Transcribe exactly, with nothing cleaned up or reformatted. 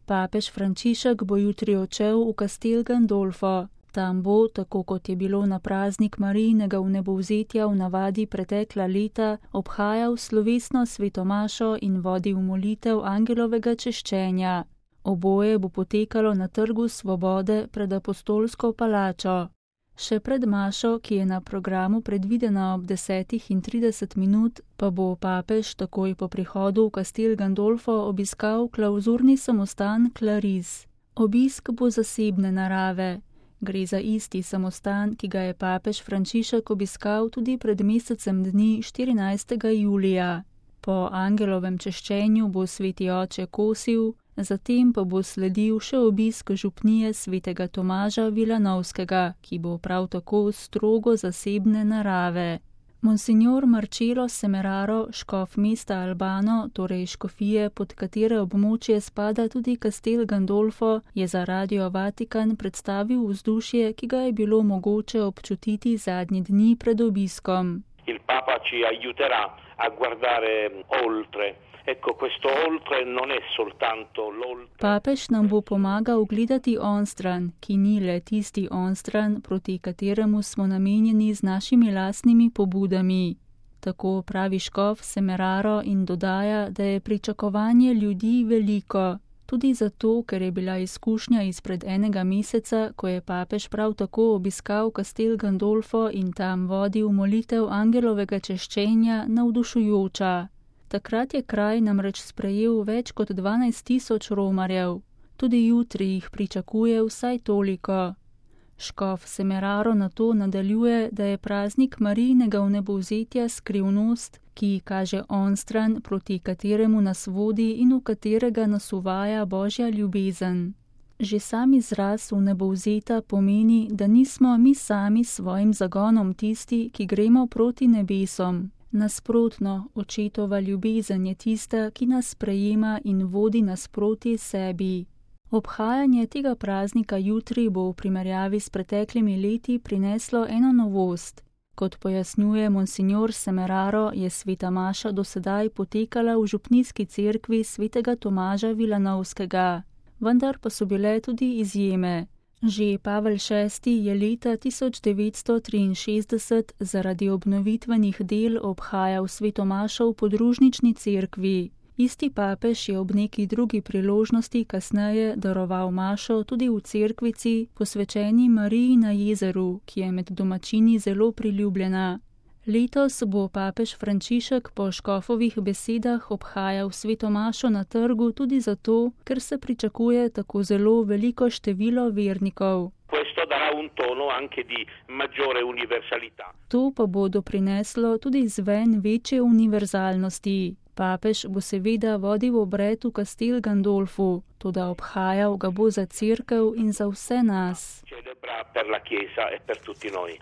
Papež Frančišek bo jutri odšel v Castel Gandolfo. Tam bo, tako kot je bilo na praznik Marijinega vnebovzetja v navadi pretekla leta, obhajal slovesno svetomašo in vodil molitev angelovega češčenja. Oboje bo potekalo na Trgu svobode pred Apostolsko palačo. Še pred mašo, ki je na programu predvidena ob desetih in trideset minut, pa bo papež takoj po prihodu v Castel Gandolfo obiskal klavzurni samostan Claris. Obisk bo zasebne narave. Gre za isti samostan, ki ga je papež Frančišek obiskal tudi pred mesecem dni štirinajstega julija. Po angelovem češčenju bo sveti oče kosil, zatem pa bo sledil še obisk župnije svetega Tomaža Vilanovskega, ki bo prav tako strogo zasebne narave. Monsignor Marcello Semeraro, škof mesta Albano, torej škofije, pod katere območje spada tudi Castel Gandolfo, je za Radio Vatikan predstavil vzdušje, ki ga je bilo mogoče občutiti zadnji dni pred obiskom. Il Papa ci aiuterà a guardare oltre. Ecco, questo oltre non è soltanto l'oltre. Papež nam bo pomagal gledati onstran, ki ni le tisti onstran, proti kateremu smo namenjeni z našimi lastnimi pobudami. Tako pravi škof Semeraro in dodaja, da je pričakovanje ljudi veliko. Tudi zato, ker je bila izkušnja izpred enega meseca, ko je papež prav tako obiskal Castel Gandolfo in tam vodil molitev angelovega češčenja, navdušujoča. Takrat je kraj namreč sprejel več kot dvanajst tisoč romarjev. Tudi jutri jih pričakuje vsaj toliko. Škof Semeraro na to nadaljuje, da je praznik Marijinega vnebovzetja skrivnost, ki kaže onstran, proti kateremu nas vodi in v katerega nas uvaja Božja ljubezen. Že sam izraz vnebovzeta pomeni, da nismo mi sami s svojim zagonom tisti, ki gremo proti nebesom. Nasprotno, očetova ljubezen je tista, ki nas sprejema in vodi nasproti sebi. Obhajanje tega praznika jutri bo v primerjavi s preteklimi leti prineslo eno novost. Kot pojasnjuje monsignor Semeraro, je sveta maša do sedaj potekala v župnijski cerkvi svetega Tomaža Vilanovskega. Vendar pa so bile tudi izjeme. Že Pavel šesti je leta tisoč devetsto triinšestdeset zaradi obnovitvenih del obhajal sveto mašo v podružnični cerkvi. Isti papež je ob neki drugi priložnosti kasneje daroval mašo tudi v cerkvici, posvečeni Mariji na jezeru, ki je med domačini zelo priljubljena. Letos bo papež Frančišek po škofovih besedah obhajal sveto mašo na trgu tudi zato, ker se pričakuje tako zelo veliko število vernikov. To pa bo doprineslo tudi zven večje univerzalnosti. Papež bo seveda vodil obred v Castel Gandolfu, toda obhajal ga bo za cerkev in za vse nas.